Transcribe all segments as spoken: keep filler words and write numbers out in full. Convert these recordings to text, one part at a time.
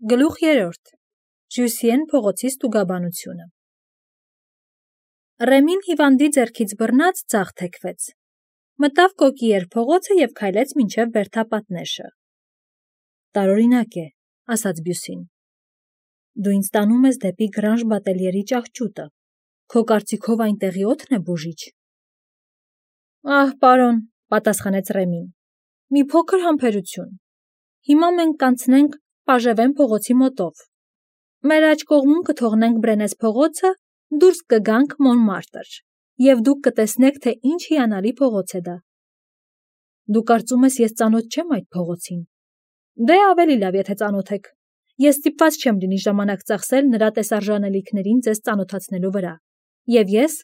Գլուխ երրորդ. Ժյուսիեն փողոցի ստուգաբանությունը։ Ռեմին հիվանդի ձեռքից բռնած ձախ թեքվեց։ Մտավ Կոկիեր փողոցը և քայլեց մինչև բերդապատնեշը։ Տարօրինակ է, ասաց Բյուսին։ Դու ինձ տանում ես դեպի Գրանժ Բատելյերի ճահճուտը։ Քո կարծիքով այնտեղի օդն է բուժիչ։ Ահ, պարոն, պատասխանեց Ռեմին։ Մի փոքր համբերություն։ Հիմա մենք կանցնենք Պաժևեն փողոցի մոտով։ Մեր աջ կողմում կթողնենք Բրենես փողոցը, դուրս կգանք Մոնմարտր, և դուք կտեսնեք, թե ինչ հիանալի փողոց է դա։ Դու կարծում ես, ես ծանոթ չեմ այդ փողոցին։ Դե ավելի լավ, եթե ծանոթ եք։ Ես ստիպված չեմ լինի ժամանակ ծախսել նրա տեսարժանելիքներին ձեզ ծանոթացնելու վրա, և ես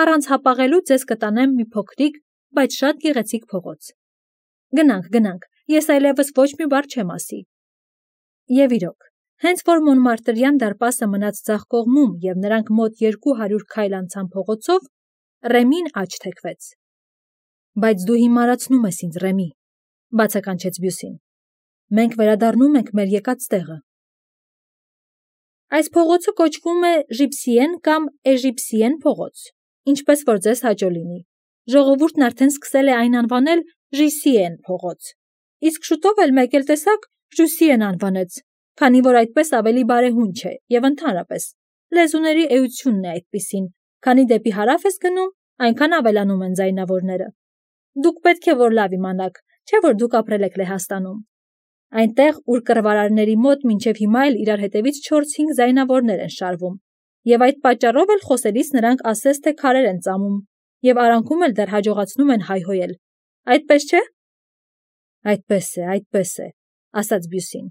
առանց հապաղելու ձեզ կտանեմ մի փոքրիկ, բայց շատ գեղեցիկ փողոց։ Գնանք, գնանք, ես այլևս ոչ մի բառ չեմ ասի։ Եվ իրոք, հենց որ Մոնմարտրյան դարպասը մնաց ձախ կողմում և նրանք մոտ երկու հարյուր քայլ անցան փողոցով, Ռեմին աջ թեքվեց։ Բայց դու հիմարացնում ես ինձ, Ռեմի, բացականչեց Բյուսին։ Մենք վերադառնում ենք մեր եկած տեղը։ Այս փողոցը կոչվում է Ժիպսիեն կամ Էժիպսիեն փողոց, ինչպես որ ձեզ հաճո լինի։ Ժողովուրդն արդեն սկսել է այն անվանել Ժիսիեն փողոց, իսկ շուտով էլ մեկ էլ տեսակ Ժյուսիեն անվանեց, քանի որ այդպես ավելի բարեհունչ է և ընդհանրապես լեզուների էությունն է այդպիսին, քանի դեպի հարավ ես գնում, այնքան ավելանում են ձայնավորները։ Դուք պետք է որ լավ իմանաք, չէ՞ որ դուք ապրել եք Լեհաստանում։ Այնտեղ, ուր կռվարարների մոտ մինչև հիմա էլ իրար հետևից չորս-հինգ ձայնավորներ են շարվում, և այդ պատճառով էլ խոսելիս նրանք ասես թե քարեր են ծամում, և արանքում էլ դեռ հաջողացնում են հայհոյել։ Այդպես չէ՞։ Այդպես է, այդպես է, ասաց Բյուսին։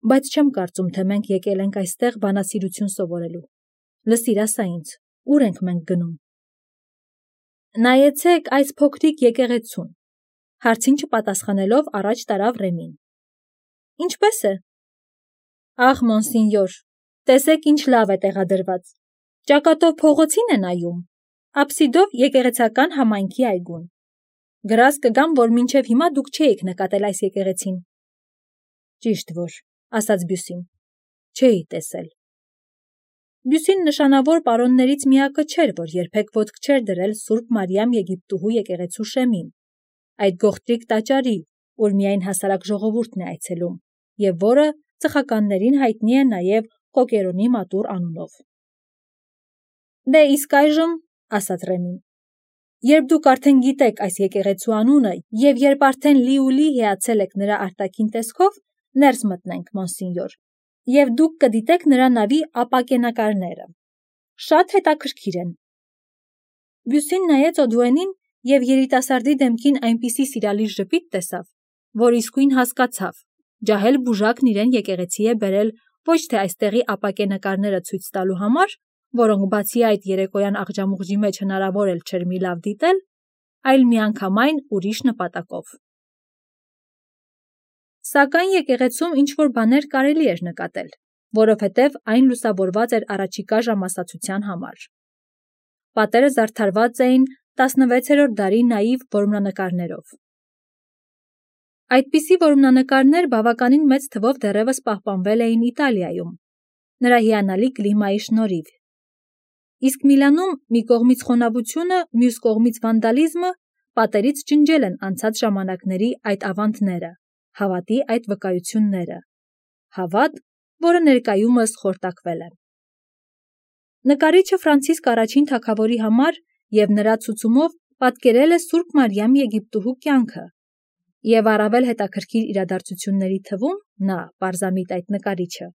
Բայց չեմ կարծում, թե մենք եկել ենք այստեղ բանասիրություն սովորելու։ Լսիր, ասա ինձ, ուր ենք մենք գնում։ Նայեցեք այս փոքրիկ եկեղեցուն, հարցին չպատասխանելով առաջ տարավ Ռեմին։ Ինչպե՞ս է։ Ախ, մոնսինյոր, տեսեք ինչ լավ է տեղադրված։ Ճակատով փողոցին է նայում, աբսիդով եկեղեցական համայնքի այգուն։ Գրազ կգամ, որ մինչև հիմա դուք չէիք նկատել այս եկեղեցին։ Ճիշտ որ, ասաց Բյուսին, չէի տեսել։ Բյուսին նշանավոր պարոններից միակը չէր, որ երբեք ոտք չէր դրել Սուրբ Մարիամ Եգիպտուհու եկեղեցու շեմին, այդ գողտրիկ տաճարի, ուր միայն հասարակ ժողովուրդն է այցելում, և որը ծխականներին հայտնի է նաև Կոկերոնի մատուռ անունով։ Դե իսկ այժմ, ասաց Ռեմին, երբ դուք արդեն գիտեք այս եկեղեցու անունը և երբ արդեն լիուլի հիացել եք նրա արտաքին տեսքով, ներս մտնենք, մոնսինյոր, և դուք կդիտեք նրա նավի ապակենակարները։ Շատ հետաքրքիր են։ Բյուսին նայեց Օդուենին և երիտասարդի դեմքին այնպիսի սիրալիր ժպիտ տեսավ, որ իսկույն հասկացավ, ջահել բուժակն իրեն եկեղեցի է բերել ոչ թե այստեղի ապակենակարները ցույց տալու համար, որոնք բացի այդ երեկոյան աղջամուղջի մեջ հնարավոր էլ չէր մի լավ դիտել, այլ միանգամայն ուրիշ նպատակով։ Սակայն եկեղեցում ինչ-որ բաներ կարելի էր նկատել, որովհետև այն լուսավորված էր առաջիկա ժամասացության համար։ Պատերը զարդարված էին տասնվեցերորդ դարի նաիվ որմնանկարներով։ Այդպիսի որմնանկարներ բավականին մեծ թվով դեռևս պահպանվել էին Իտալիայում, նրա հիանալի կլիմայի շնորհիվ։ Իսկ Միլանում մի կողմից խոնավությունը, մյուս կողմից վանդալիզմը պատերից ջնջել են անցած ժամանակների այդ ավանդները, հավատի այդ վկայությունները, հավատ, որը ներկայումս խորտակվել է։ Նկարիչը Ֆրանցիսկ առաջին թագավորի համար և նրա ցուցումով պատկերել է Սուրբ Մարիամ Եգիպտուհու կյանքը, և առավել հետաքրքիր իրադարձությունների թվում նա, պարզամիտ այդ նկարիչը,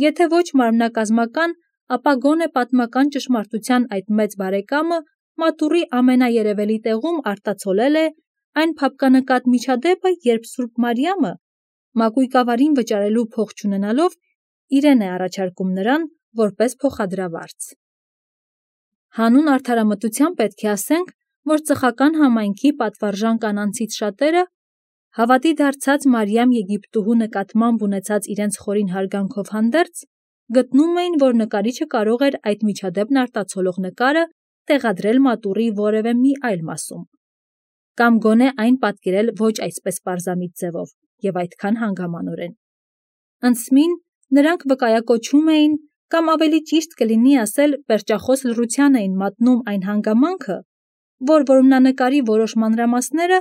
եթե ոչ մարմնակազմական, ապա գոնե պատմական ճշմարտության այդ մեծ բարեկամը մատուռի ամենաերևելի տեղում արտացոլել է այն փափկանկատ միջադեպը, երբ Սուրբ Մարիամը, մակույկավարին վճարելու փող չունենալով, իրեն է առաջարկում նրան որպես փոխադրավարձ։ Հանուն արդարամտության պետք է ասենք, որ ծխական համայնքի պատվարժան կանանցից շատերը, հավատի դարձած Մարիամ Եգիպտուհու նկատմամբ ունեցած իրենց խորին հարգանքով հանդերձ, գտնում էին, որ նկարիչը կարող էր այդ միջադեպն արտացոլող նկարը տեղադրել մատուռի որևէ մի այլ մասում, կամ գոնե այն պատկերել ոչ այսպես պարզամիտ ձևով և այդքան հանգամանորեն։ Անցմին նրանք վկայակոչում էին կամ ավելի ճիշտ կլինի ասել պերճախոս լռության էին մատնում այն հանգամանքը, որ որմնանկարի որոշ մանրամասները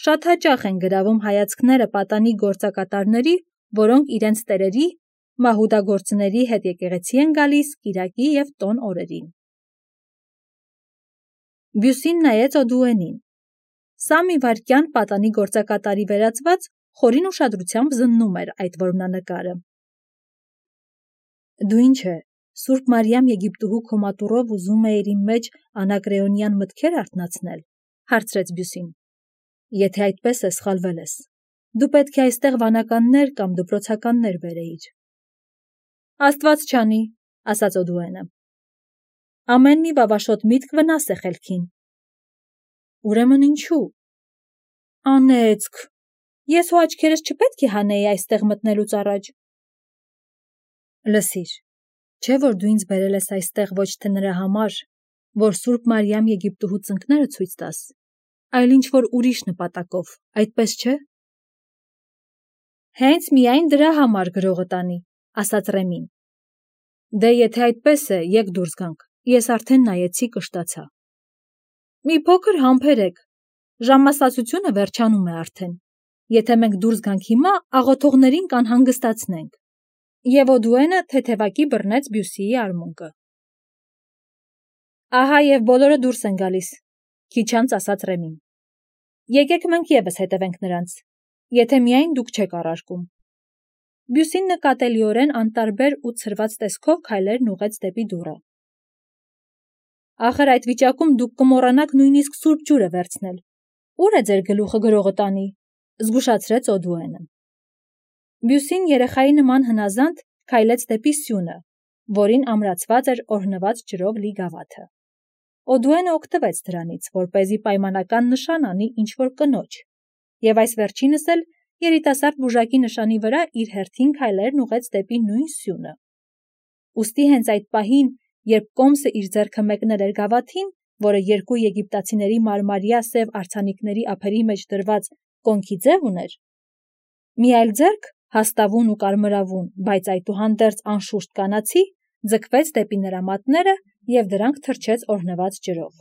շատ հաճախ են գրավում հայացքները պատանի գործակատարների, որոնք իրենց տերերի, մահուդագործների հետ եկեղեցի են գալիս կիրակի և տոն օրերին։ Բյուսին նայեց Օդուենին։ Սա մի վայրկյան պատանի գործակատարի վերածված խորին ուշադրությամբ զննում էր այդ որմնանկարը։ Դու ինչ է, Սուրբ Մարիամ Եգիպտուհու քո մատուռով ուզում էիր իմ մեջ անակրեոնյան մտքեր արթնացնել, հարցրեց Բյուսին։ Եթե այդպես է, սխալվել ես։ Դու պետք է այստեղ վանականներ կամ դպրոցականներ բերեիր։ Աստված չանի, ասաց Օդուենը։ Ամեն մի վավաշոտ միտք վնաս է խելքին։ Ուրեմն ինչու։ Անեծք։ Ես հո աչքերս չպետք է հանեի այստեղ մտնելուց առաջ։ Լսիր, չէ որ դու ինձ բերել ես այստեղ ոչ թե նրա համար, որ Սուրբ Մարիամ Եգիպտուհու ծնկները ցույց տաս, այլ ինչ-որ ուրիշ նպատակով, այդպես չէ։ Հենց միայն դրա համար գրողը տանի, ասաց Ռեմին։ Դե եթե այդպես է, եկ դուրս գանք, ես արդեն նայեցի կշտացա։ Մի փոքր համբերեք, ժամասացությունը վերջանում է արդեն։ Եթե մենք դուրս գանք հիմա, աղոթողներին կանհանգստացնենք։ Եվ Օդուենը թեթևակի բռնեց Բյուսիի արմունկը։ Ահա և բոլորը դուրս են գալիս, քիչ անց ասաց Ռեմին։ Եկեք մենք ևս հետևենք նրանց, եթե միայն դուք չեք առարկում։ Բյուսին նկատելիորեն անտարբեր ու ցրված տեսքով քայլերն ուղղեց դեպի դուռը։ Ախր այդ վիճակում դուք կմոռանաք նույնիսկ սուրբ ջուրը վերցնել։ Ուր է ձեր գլուխը գրողը տանի, զգուշացրեց Օդուենը։ Բյուսին երեխայի նման հնազանդ քայլեց դեպի սյունը, որին ամրացված էր օրհնված ջրով լի գավաթը։ Օդուենը օգտվեց դրանից, որպեսզի պայմանական նշան անի ինչ-որ կնոջ, և այս վերջինս էլ երիտասարդ բուժակի նշանի վրա իր հերթին քայլերն ուղղեց դեպի նույն սյունը։ Ուստի հենց այդ պահին, երբ կոմսը իր ձեռքը մեկնել էր գավաթին, որը երկու եգիպտացիների մարմարյա սև արձանիկների ափերի մեջ դրված կոնքի ձև ուներ, մի այլ ձեռք, հաստավուն ու կարմրավուն, բայց այդուհանդերձ անշուշտ կանացի, ձգվեց դեպի նրա մատները և դրանք թրջեց օրհնված ջրով։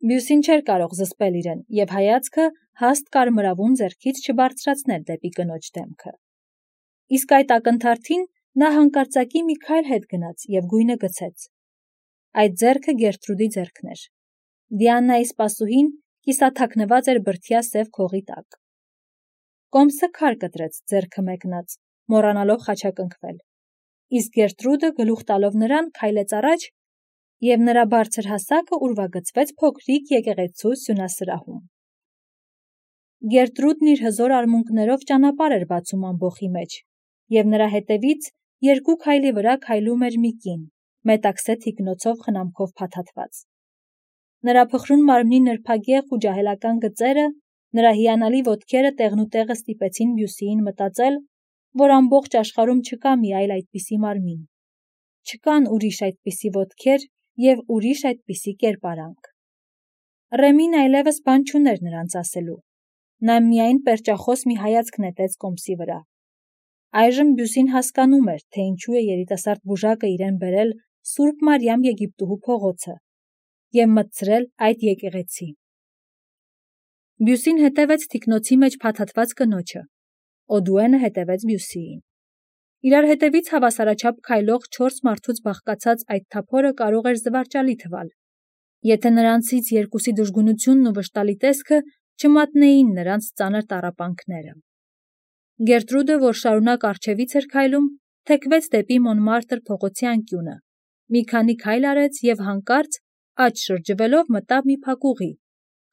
Բյուսին չէր կարող զսպել իրեն և հայացքը հաստ կարմրավուն ձեռքից չբարձրացնել դեպի կնոջ դեմքը։ Իսկ այդ ակնթարթին նա հանկարծակի մի քայլ հետ գնաց և գույնը գցեց։ Այդ ձեռքը Գերտրուդի ձեռքն էր։ Դիանայի սպասուհին կիսաթաքնված էր բրդյա սև քողի տակ։ Կոմսը քար կտրեց ձեռքը մեկնած, մոռանալով խաչակնքվել, իսկ Գերտրուդը գլուխ տալով նրան քայլեց առաջ և նրա բարձր հասակը ուրվագծվեց փոքրիկ եկեղեցու սյունասրահում։ Գերտրուդն իր հզոր արմունկներով ճանապարհ էր բացում ամբոխի մեջ, և նրա հետևից երկու քայլի վրա քայլում էր մի կին, մետաքսե թիկնոցով խնամքով փաթաթված։ Նրա փխրուն մարմնի նրբագեղ ու ջահելական գծերը, նրա հիանալի ոտքերը տեղնուտեղը ստիպեցին Բյուսիին մտածել, որ ամբողջ աշխարհում չկա մի այլ այդպիսի մարմին։ Չկան ուրիշ այդպիսի ոտքեր և ուրիշ այդպիսի կերպարանք։ Ռեմին այլևս բան չուներ նրանց ասելու։ Նա միայն պերճախոս մի հայացք նետեց կոմսի վրա։ Այժմ Բյուսին հասկանում էր, թե ինչու է երիտասարդ բուժակը իրեն բերել Սուրբ Մարիամ Եգիպտուհու փողոցը և մտցրել այդ եկեղեցի։ Բյուսին հետևեց թիկնոցի մեջ փաթաթված կնոջը։ Օդուենը հետևեց Բյուսիին։ Իրար հետևից հավասարաչափ քայլող չորս մարդուց բաղկացած այդ թափորը կարող էր զվարճալի թվալ, եթե նրանցից երկուսի դժգունությունն ու վշտալի տեսքը չմատնեին նրանց ծանր տառապանքները։ Գերտրուդը, որ շարունակ առջևից էր քայլում, թեքվեց դեպի Մոնմարտր փողոցի անկյունը, մի քանի քայլ արեց և հանկարծ, աջ շրջվելով, մտավ մի փակուղի,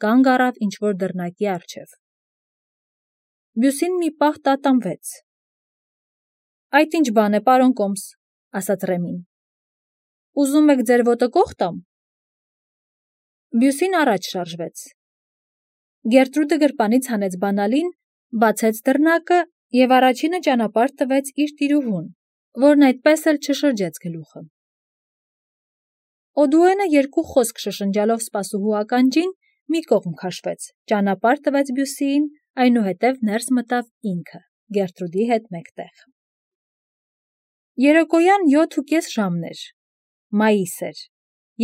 կանգ առավ ինչ-որ դռնակի առջև։ Բյուսին մի պահ տատանվեց։ Այդ ինչ բան է, պարոն կոմս, ասաց Ռեմին։ Ուզում եք ձեր ոտը կոխ տամ։ Բյուսին առաջ շարժվեց։ Գերտրուդը գրպանից հանեց բանալին, բացեց դռնակը և առաջինը ճանապարհ տվեց իր տիրուհուն, որն այդպես էլ չշրջեց գլուխը։ Օդուենը երկու խոսք շշնջալով սպասուհու ականջին մի կողմ քաշվեց, ճանապարհ տվեց Բյուսիին, այնուհետև ներս մտավ ինքը։ Գերտրուդի հետ մեկտեղ։ Երեկոյան յոթ ու կես ժամն էր, մայիս էր,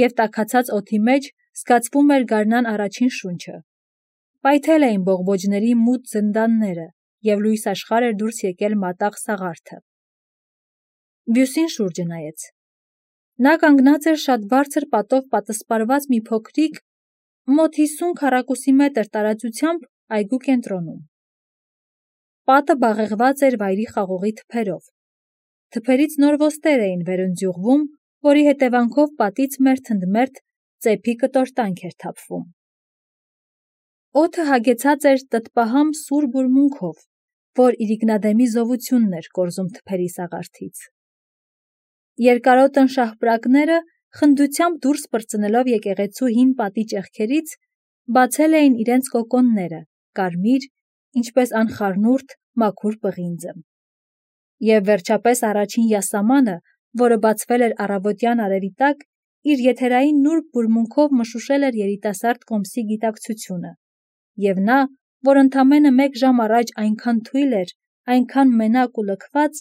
և տաքացած օդի մեջ զգացվում էր գարնան առաջին շունչը։ Պայթել էին բողբոջների մութ զնդանները, և լույս աշխարհ էր դուրս եկել մատաղ սաղարթը։ Բյուսին շուրջը նայեց։ Նա կանգնած էր շատ բարձր պատով պատսպարված մի փոքրիկ, մոտ հիսուն քառակուսի մետր տարածությամբ այգու կենտրոնում։ Պատը բաղեղված էր վայրի խաղողի թփերով։ Թփերից նոր ոստեր էին վերընձյուղվում, որի հետևանքով պատից մերթ ընդ մերթ ծեփի կտորտանք էր թափվում։ Օդը հագեցած էր տտպահամ սուր բուրմունքով, որ իրիկնադեմի զովությունն էր կորզում թփերի սաղարթից։ Երկարոտն շաղպրակները, խնդությամբ դուրս պրծնելով եկեղեցու հին պատի ճեղքերից, բացել էին իրենց կոկոնները, կարմիր, ինչպես անխառնուրդ, մաքուր պղինձը։ Եվ վերջապես առաջին յասամանը, որը բացվել էր առավոտյան արևի տակ, իր եթերային նուրբ բուրմունքով մշուշել էր երիտասարդ կոմսի գիտակցությունը, և նա, որ ընդամենը մեկ ժամ առաջ այնքան թույլ էր, այնքան մենակ ու լքված,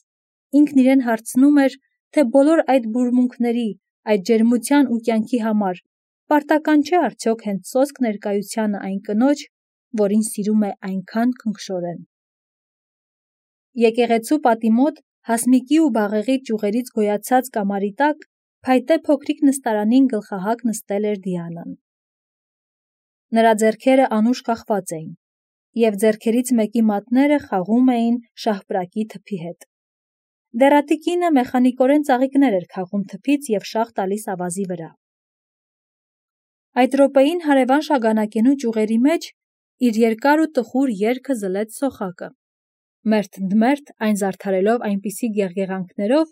ինքն իրեն հարցնում էր, թե բոլոր այդ բուրմունքների, այդ ջերմության ու կյանքի համար պարտական չէ արդյոք հենց սոսկ ներկայությանը այն կնոջ, որին սիրում է այնքան քնքշորեն։ Եկեղեցու պատի մոտ, հասմիկի ու բաղեղի ճյուղերից գոյացած կամարի տակ, փայտե փոքրիկ նստարանին գլխահակ նստել էր Դիանան։ Նրա ձեռքերը անուշ կախված էին, և ձեռքերից մեկի մատները խաղում էին շաղպրակի թփի հետ։ Դեռատի կինը մեխանիկորեն ծաղիկներ էր քաղում թփից և շաղ տալիս ավազի վրա։ Այդ րոպեին հարևան շագանակենու ճյուղերի մեջ իր երկար ու տխուր երգը զլեց սոխակը, մերթ ընդ մերթ այն զարդարելով այնպիսի գեղգեղանքներով,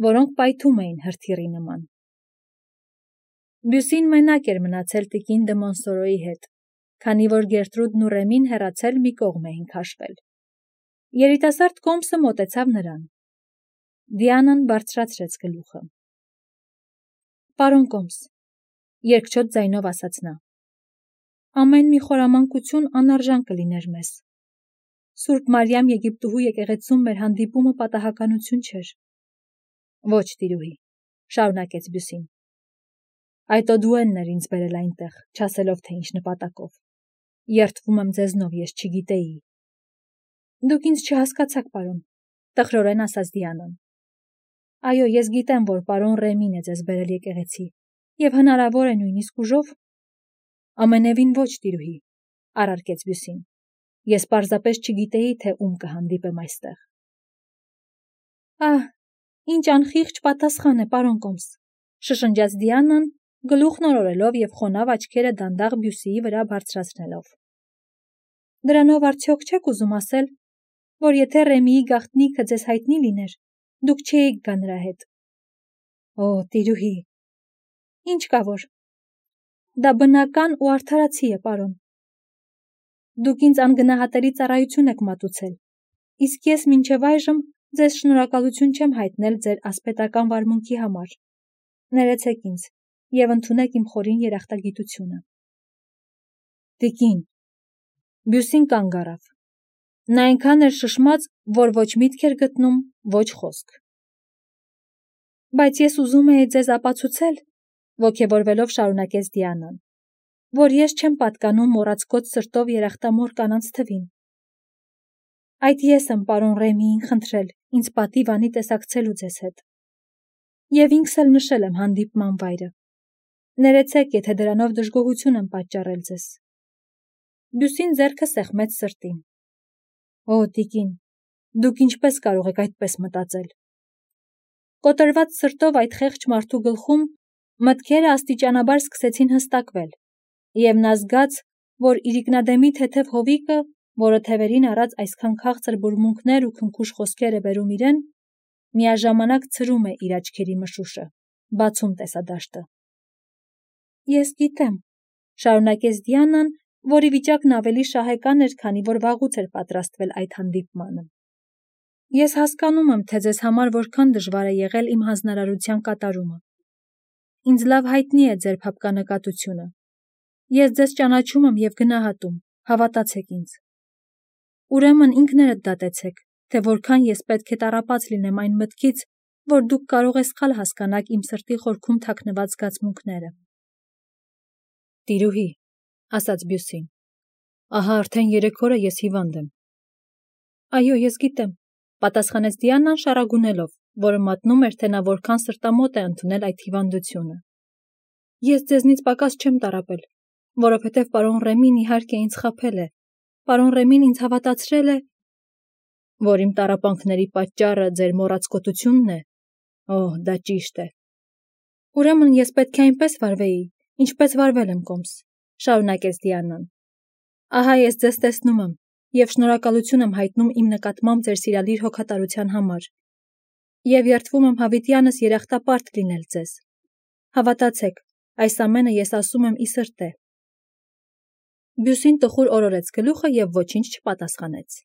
որոնք պայթում էին հրթիռի նման։ Բյուսին մենակ էր մնացել տիկին դը Մոնսորոյի հետ, քանի որ Գերտրուդն ու Ռեմին հեռացել մի կողմ էին քաշվել։ Երիտասարդ կոմսը մոտեցավ նրան։ Դիանան բարձրացրեց գլուխը։ Պարոն կոմս, երկչոտ ձայնով ասաց նա, ամեն մի խորամանկություն անարժան կլիներ մեզ։ Սուրբ Մարիամ Եգիպտուհու եկեղեցում մեր հանդիպումը պատահականություն չէր։ Ոչ, տիրուհի, շարունակեց Բյուսին։ Այդ Օդուենն էր ինձ բերել այնտեղ, չասելով թե ինչ նպատակով։ Երդվում եմ ձեզնով, ես չգիտեի։ Դուք ինձ չհասկացաք, պարոն, տխրորեն ասաց Դիանան։ Այո, ես գիտեմ, որ պարոն Ռեմին է ձեզ բերել եկեղեցի, և հնարավոր է նույնիսկ ուժով։ Ամենևին ոչ, տիրուհի, առարկեց Բյուսին։ Ես պարզապես չգիտեի, թե ում կհանդիպեմ այստեղ։ Ահ, ինչ անխիղճ պատասխան է, պարոն կոմս, շշնջաց Դիանան, գլուխն օրորելով և խոնավ աչքերը դանդաղ Բյուսիի վրա բարձրացնելով։ Դրանով արդյոք չեք ուզում ասել, որ եթե Ռեմիի գաղտնիքը ձեզ հայտնի լիներ, դուք չէիք գա նրա հետ։ Օ, տիրուհի, ինչ կա որ։ Դա բնական ու արդարացի է, պարոն։ Դուք ինձ անգնահատելի ծառայություն եք մատուցել, իսկ ես մինչև այժմ ձեզ շնորհակալություն չեմ հայտնել ձեր ասպետական վարմունքի համար։ Ներեցեք ինձ և ընդունեք իմ խորին երախտագիտությունը։ Տիկին, Բյուսին կանգ առավ։ Նա այնքան էր շշմած, որ ոչ միտք էր գտնում, ոչ խոսք։ Բայց ես ուզում էի ձեզ ապացուցել, ոգևորվելով շարունակեց Դիանան, որ ես չեմ պատկանում մոռացկոտ սրտով երախտամոռ կանանց թվին։ Այդ ես եմ պարոն Ռեմիին խնդրել ինձ պատիվ անի տեսակցելու ձեզ հետ։ Եվ ինքս էլ նշել եմ հանդիպման վայրը։ Ներեցեք, եթե դրանով դժգոհություն եմ պատճառել ձեզ։ Բյուսին ձեռքը սեղմեց սրտին։ Օ, տիկին, դուք ինչպես կարող եք այդպես մտածել։ Կոտրված սրտով այդ խեղճ մարդու գլխում մտքերը աստիճանաբար սկսեցին հստակվել, և նա զգաց, որ իրիկնադեմի թեթև հովիկը, որը թևերին առած այսքան քաղցր բուրմունքներ ու քնքուշ խոսքեր է բերում իրեն, միաժամանակ ցրում է իր աչքերի մշուշը, բացում տեսադաշտը։ Ես գիտեմ, շարունակեց Դիանան, որի վիճակն ավելի շահեկան էր, քանի որ վաղուց էր պատրաստվել այդ հանդիպմանը։ Ես հասկանում եմ, թե ձեզ համար որքան դժվար է եղել իմ հանձնարարության կատարումը։ Ինձ լավ հայտնի է ձեր փափկանկատությունը։ Ես ձեզ ճանաչում եմ և գնահատում, հավատացեք ինձ։ Ուրեմն ինքներդ դատեցեք, թե որքան ես պետք է տառապած լինեմ այն մտքից, որ դուք կարող եք սխալ հասկանաք իմ սրտի խորքում թաքնված զգացմունքները։ Տիրուհի, ասաց Բյուսին, ահա արդեն երեք օր է ես հիվանդ եմ։ Այո, ես գիտեմ, պատասխանեց Դիանան շառագունելով, որը մատնում էր, թե նա որքան սրտամոտ է ընդունել այդ հիվանդությունը։ Ես ձեզնից պակաս չեմ տառապել, որովհետև պարոն Ռեմին իհարկե ինձ խաբել է։ Պարոն Ռեմին ինձ հավատացրել է, որ իմ տառապանքների պատճառը ձեր մոռացկոտությունն է։ Օհ, դա ճիշտ է։ Ուրեմն ես պետք է այնպես վարվեի, ինչպես վարվել եմ կոմս, շարունակեց Դիանան։ Ահա ես ձեզ տեսնում եմ և շնորհակալություն եմ հայտնում իմ նկատմամբ ձեր սիրալիր հոգատարության համար։ Եվ երդվում եմ հավիտյանս երախտապարտ լինել ձեզ։ Հավատացեք, այս ամենը ես ասում եմ ի սրտե։ Բյուսին տխուր օրորեց գլուխը և ոչինչ չպատասխանեց։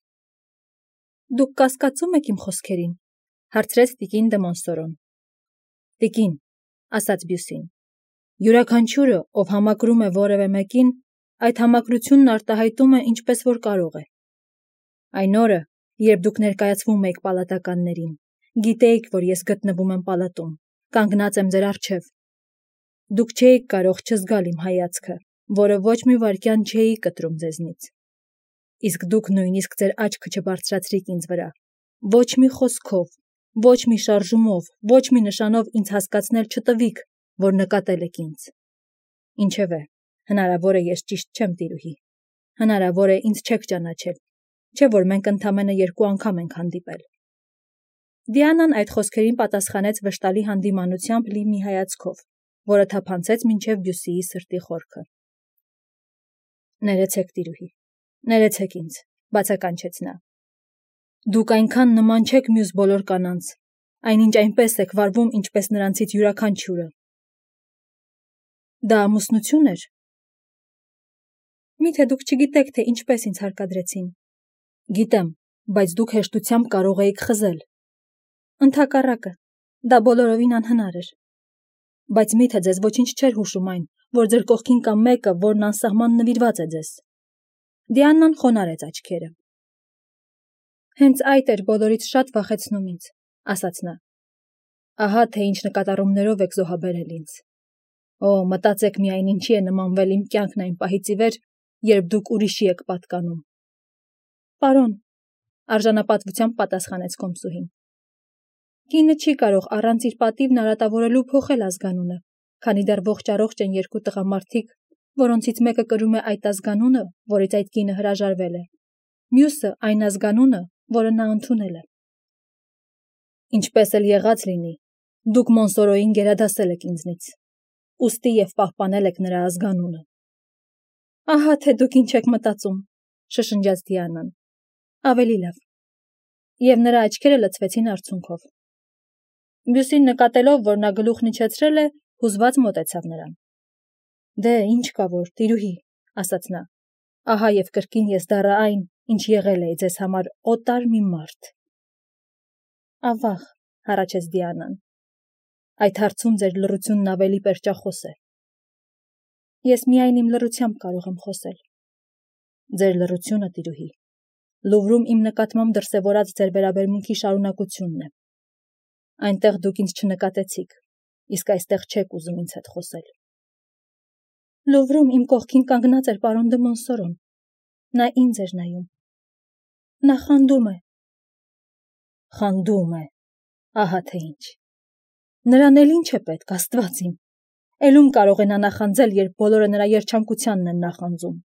Դուք կասկածում եք իմ խոսքերին, հարցրեց տիկին դը Մոնսորոն։ Տիկին, ասաց Բյուսին, յուրաքանչյուրը, ով համակրում է որևէ մեկին, այդ համակրությունն արտահայտում է ինչպես որ կարող է։ Այն օրը, երբ դուք ներկայացվում եք պալատականներին, գիտեիք, որ ես գտնվում եմ պալատում, կանգնած եմ ձեր առջև։ Դուք չէիք կարող չզգալ իմ հայացքը, որը ոչ մի վայրկյան չէի կտրում ձեզնից։ Իսկ դուք նույնիսկ ձեր աչքը չբարձրացրիք ինձ վրա, ոչ մի խոսքով, ոչ մի շարժումով, ոչ մի նշանով ինձ հասկացնել չտվիք, որ նկատել եք ինձ։ Ինչևէ, հնարավոր է ես ճիշտ չեմ, տիրուհի։ Հնարավոր է ինձ չեք ճանաչել, չէ՞ որ մենք ընդամենը երկու անգամ ենք հանդիպել։ Դիանան այդ խոսքերին պատասխանեց վշտալի հանդիմանությամբ լի մի հայացքով, որը թափանցեց մինչև Բյուսիի սրտի խորքը։ Ներեցեք, տիրուհի, ներեցեք ինձ, բացականչեց նա։ Դուք այնքան նման չեք մյուս բոլոր կանանց, այնինչ այնպես եք վարվում, ինչպես նրանցից յուրաքանչյուրը։ Դա ամուսնություն էր։ Միթե դուք չգիտեք, թե ինչպես ինձ հարկադրեցին։ Գիտեմ, բայց դուք հեշտությամբ կարող էիք խզել։ Ընդհակառակը, դա բոլորովին անհնար էր։ Բայց միթե ձեզ ոչինչ չէր հուշում այն, որ ձեր կողքին կա մեկը, որն անսահման նվիրված է ձեզ։ Դիանան խոնարհեց աչքերը։ Հենց այդ էր բոլորից շատ վախեցնում ինձ, ասաց նա։ Ահա թե ինչ նկատառումներով եք զոհաբերել ինձ։ Օ, մտածեք միայն ինչի է նմանվել իմ կյանքն այն պահից ի վեր, երբ դուք ուրիշի եք պատկանում։ Պարոն, արժանապատվությամբ պատասխանեց կոմսուհին։ Կինը չի կարող առանց իր պատիվն արատավորելու փոխել ազգանունը, քանի դեռ ողջ-առողջ են երկու տղամարդիկ, որոնցից մեկը կրում է այդ ազգանունը, որից այդ կինը հրաժարվել է, մյուսը այն ազգանունը, որը նա ընդունել է։ Ինչպես էլ եղած լինի, դուք Մոնսորոյին գերադասել եք ինձնից, ուստի և պահպանել եք նրա ազգանունը։ Ահա թե դուք ինչ եք մտածում, շշնջաց Դիանան։ Ավելի լավ։ Եվ նրա աչքերը լցվեցին արցունքով։ Բյուսին նկատելով, որ նա գլուխն իջեցրել է, հուզված մոտեցավ նրան։ Դե, ինչ կա որ, տիրուհի, ասաց նա, ահա և կրկին ես դառա այն, ինչ եղել էի ձեզ համար օտար մի մարդ։ Ավաղ, հառաչեց Դիանան։ Այդ հարցում ձեր լռությունն ավելի պերճախոս է։ Ես միայն իմ լռությամբ կարող եմ խոսել։ Ձեր լռությունը, տիրուհի, Լուվրում իմ նկատմամբ դրսևորած ձեր վերաբերմունքի շարունակությունն է։ Այնտեղ դուք ինձ չնկատեցիք, իսկ այստեղ չեք ուզում ինձ հետ խոսել։ Լուվրում իմ կողքին կանգնած էր պարոն դը Մոնսորոն։ Նա ինձ էր նայում։ Նա խանդում է։ Խանդում է, ահա թե ինչ։ Նրան էլ ինչ է պետք, Աստված իմ։ Էլում կարող է նա նախանձել, երբ բոլորը նրա երջանկությանն են նախանձում։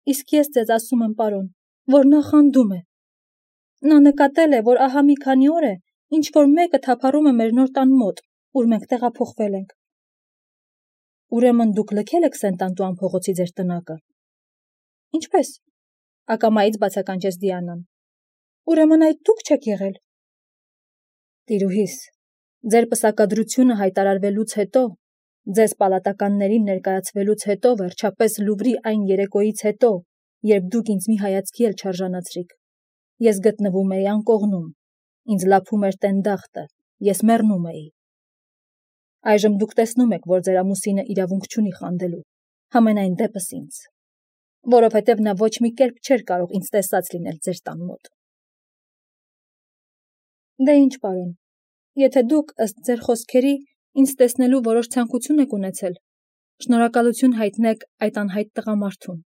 Իսկ ես ձեզ ասում եմ, պարոն, որ նա խանդում է։ Նա նկատել է, որ ահա մի քանի օր է, ինչ որ մեկը թափառում է մեր նոր տան մոտ, ուր մենք տեղափոխվել ենք։ Ուրեմն դուք լքել եք Սենտանտուան փողոցի ձեր տնակը։ Ինչպես։ Ակամայից բացականչեց Դիանան։ Ուրեմն այդ դուք չեք եղել։ Տիրուհիս, ձեր պսակադրությունը հայտարարվելուց հետո, ձեզ պալատականներին ներկայացվելուց հետո, վերջապես Լուվրի այն երեկոյից հետո, երբ դուք ինձ մի հայացքի էլ չարժանացրիք, ես գտնվում էի անկողնում, ինձ լափում էր տենդախտը, ես մեռնում էի։ Այժմ դուք տեսնում եք, որ ձեր ամուսինը իրավունք չունի խանդելու, համենայն դեպս ինձ, որովհետև նա ոչ մի կերպ չէր կարող ինձ տեսած լինել ձեր տան մոտ։ Դե ինչ, պարոն, եթե դուք ըստ ձեր խոսքերի ինձ տեսնելու որոշ ցանկություն եք ունեցել, շնորհակալություն հայտնեք այդ անհայտ տղամարդուն,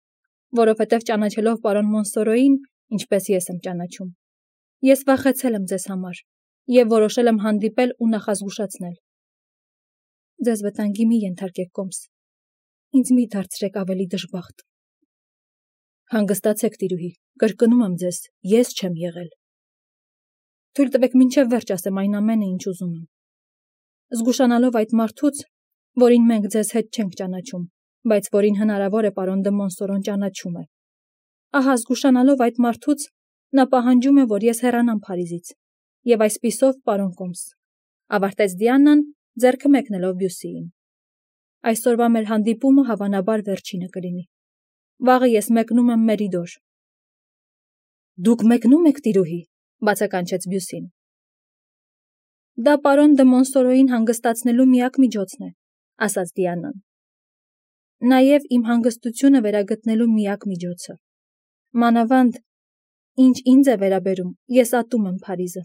որովհետև ճանաչելով պարոն Մոնսորոյին, ինչպես ես եմ ճանաչում, ես վախեցել եմ ձեզ համար և որոշել եմ հանդիպել ու նախազգուշացնել։ Ձեզ վտանգի մի ենթարկեք, կոմս, ինձ մի դարձրեք ավելի դժբախտ։ Հանգստացեք, տիրուհի, կրկնում եմ ձեզ, ես չեմ եղել։ Թույլ տվեք մինչև վերջ ասեմ այն ամենը, ինչ ուզում եմ։ Զգուշանալով այդ մարդուց, որին մենք ձեզ հետ չենք ճանաչում, բայց որին հնարավոր է պարոն դը Մոնսորոն ճանաչում է։ Ահա զգուշանալով այդ մարդուց, նա պահանջում է, որ ես հեռանամ Փարիզից, և այսպիսով, պարոն կոմս, ավարտեց Դիանան, ձեռքը մեկնելով Բյուսիին։ Այսօրվա մեր հանդիպումը հավանաբար վերջինը կլինի։ Վաղը ես մեկնում եմ Մերիդոր։ Դուք մեկնում եք, տիրուհի, բացականչեց Բյուսին։ Դա պարոն դը Մոնսորոյին հանգստացնելու միակ միջոցն է, ասաց Դիանան։ Նաև իմ հանգստությունը վերագտնելու միակ միջոցը։ Մանավանդ, ինչ ինձ է վերաբերում, ես ատում եմ Փարիզը,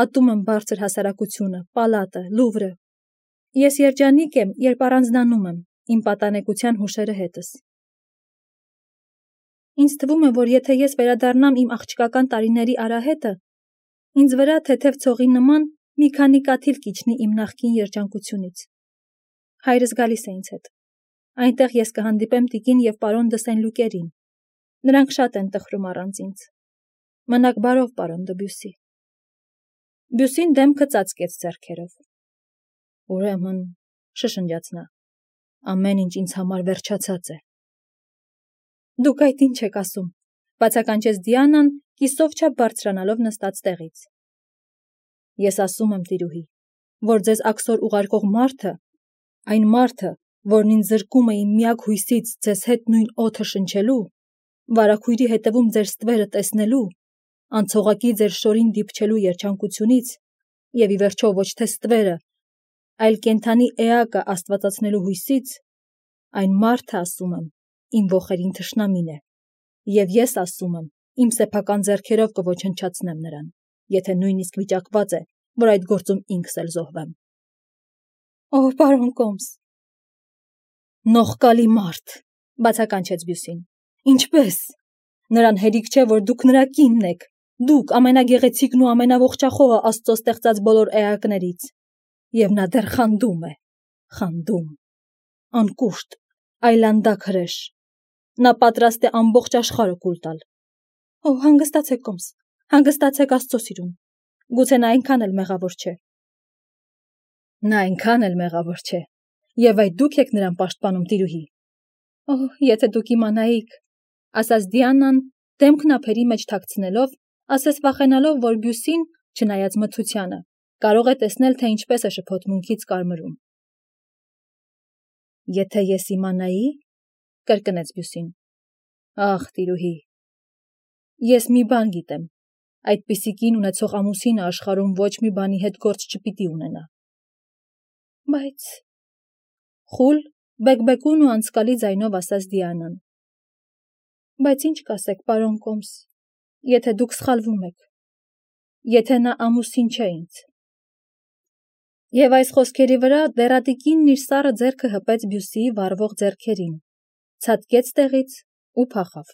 ատում եմ բարձր հասարակությունը, պալատը, Լուվրը։ Ես երջանիկ եմ, երբ առանձնանում եմ իմ պատանեկության հուշերը հետս։ Ինձ թվում է, որ եթե ես վերադառնամ իմ աղջկական տարիների արահետը, ինձ վրա թեթև ցողի նման մի քանի կաթիլ կիջնի իմ նախկին երջանկությունից։ Հայրս գալիս է ինձ հետ։ Այնտեղ ես կհանդիպեմ տիկին և պարոն դը Սեն-Լուկերին։ Նրանք շատ են տխրում առանց ինձ։ Մնաք բարով, պարոն դը Բյուսի։ Բյուսին դեմքը ծածկեց ձեռքերով։ Ուրեմն, շշնջաց նա, ամեն ինչ ինձ համար վերջացած է։ Դուք այդ ինչ եք ասում, բացականչեց Դիանան, կիսով չափ բարձրանալով նստած տեղից։ Ես ասում եմ, տիրուհի, որ ձեզ աքսոր ուղարկող մարդը, այն մարդը, որն ինձ զրկում է իմ միակ հույսից ձեզ հետ նույն օդը շնչելու, վարագույրի հետևում ձեր ստվերը տեսնելու, անցողակի ձեր շորին դիպչելու երջանկությունից, և ի վերջո ոչ թե ստվերը, այլ կենդանի էակը աստվածացնելու հույսից, այն մարդը, ասում եմ, իմ ոխերին թշնամին է, և ես ասում եմ, իմ սեփական ձեռքերով կոչնչացնեմ նրան, եթե նույնիսկ վիճակված է, որ այդ գործում ինքս էլ զոհվեմ։ Օ, պարոն կոմս։ Նողկալի մարդ, բացականչեց Բյուսին։ Ինչպես։ Նրան հերիք չէ, որ դուք նրա կինն եք, դուք ամենագեղեցիկն ու ամենաողջախոհը Աստծո ստեղծած բոլոր էակներից, և նա դեռ խանդում է, խանդում, անկուշտ, այլանդակ հրեշ, նա պատրաստ է ամբողջ աշխարհը կուլ տալ։ Օ, հանգստացեք, կոմս, հանգստացեք Աստծո սիրուն, գուցե նա այնքան էլ մեղավոր չէ։ Նա այնքան էլ մեղավոր չէ, և այդ դուք եք նրան պաշտպանում, տիրուհի։ Օ, եթե դուք իմանայիք, ասաց Դիանան, դեմքն ափերի մեջ թաքցնելով, ասես վախենալով, որ Բյուսին, չնայած մթությանը, կարող է տեսնել, թե ինչպես է շփոթմունքից կարմրում։ Եթե ես իմանայի, կրկնեց Բյուսին։ Ախ, տիրուհի, ես մի բան գիտեմ, այդպիսի կին ունեցող ամուսինը աշխարհում ոչ մի բանի հետ գործ չպիտի ունենա։ Բայց… Խուլ, բեկբեկուն ու անցկալի ձայնով ասաց Դիանան։ Բայց ինչ կասեք, պարոն կոմս, եթե դուք սխալվում եք, եթե նա ամուսին չէ ինձ։ Եվ այս խոսքերի վրա դեռատիկինն իր սառը ձեռքը հպեց Բյուսիի վառվող ձեռքերին, ցատկեց տեղից ու փախավ։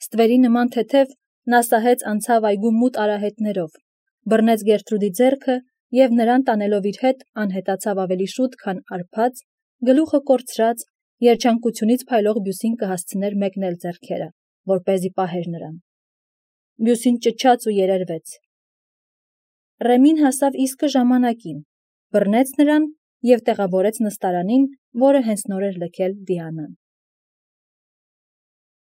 Ստվերի նման թեթև նա սահեց անցավ այգու մութ արահետներով, բռնեց Գերտրուդի ձեռքը և նրան տանելով իր հետ անհետացավ ավելի շուտ, քան արբած, գլուխը կորցրած, երջանկությունից փայլող Բյուսին կհասցներ մեկնել ձեռքերը, որպեսզի պահեր նրան։ Բյուսին ճչաց ու երերվեց։ Ռեմին հասավ իսկը ժամանակին, բռնեց նրան և տեղավորեց նստարանին, որը հենց նոր էր լքել Դիանան։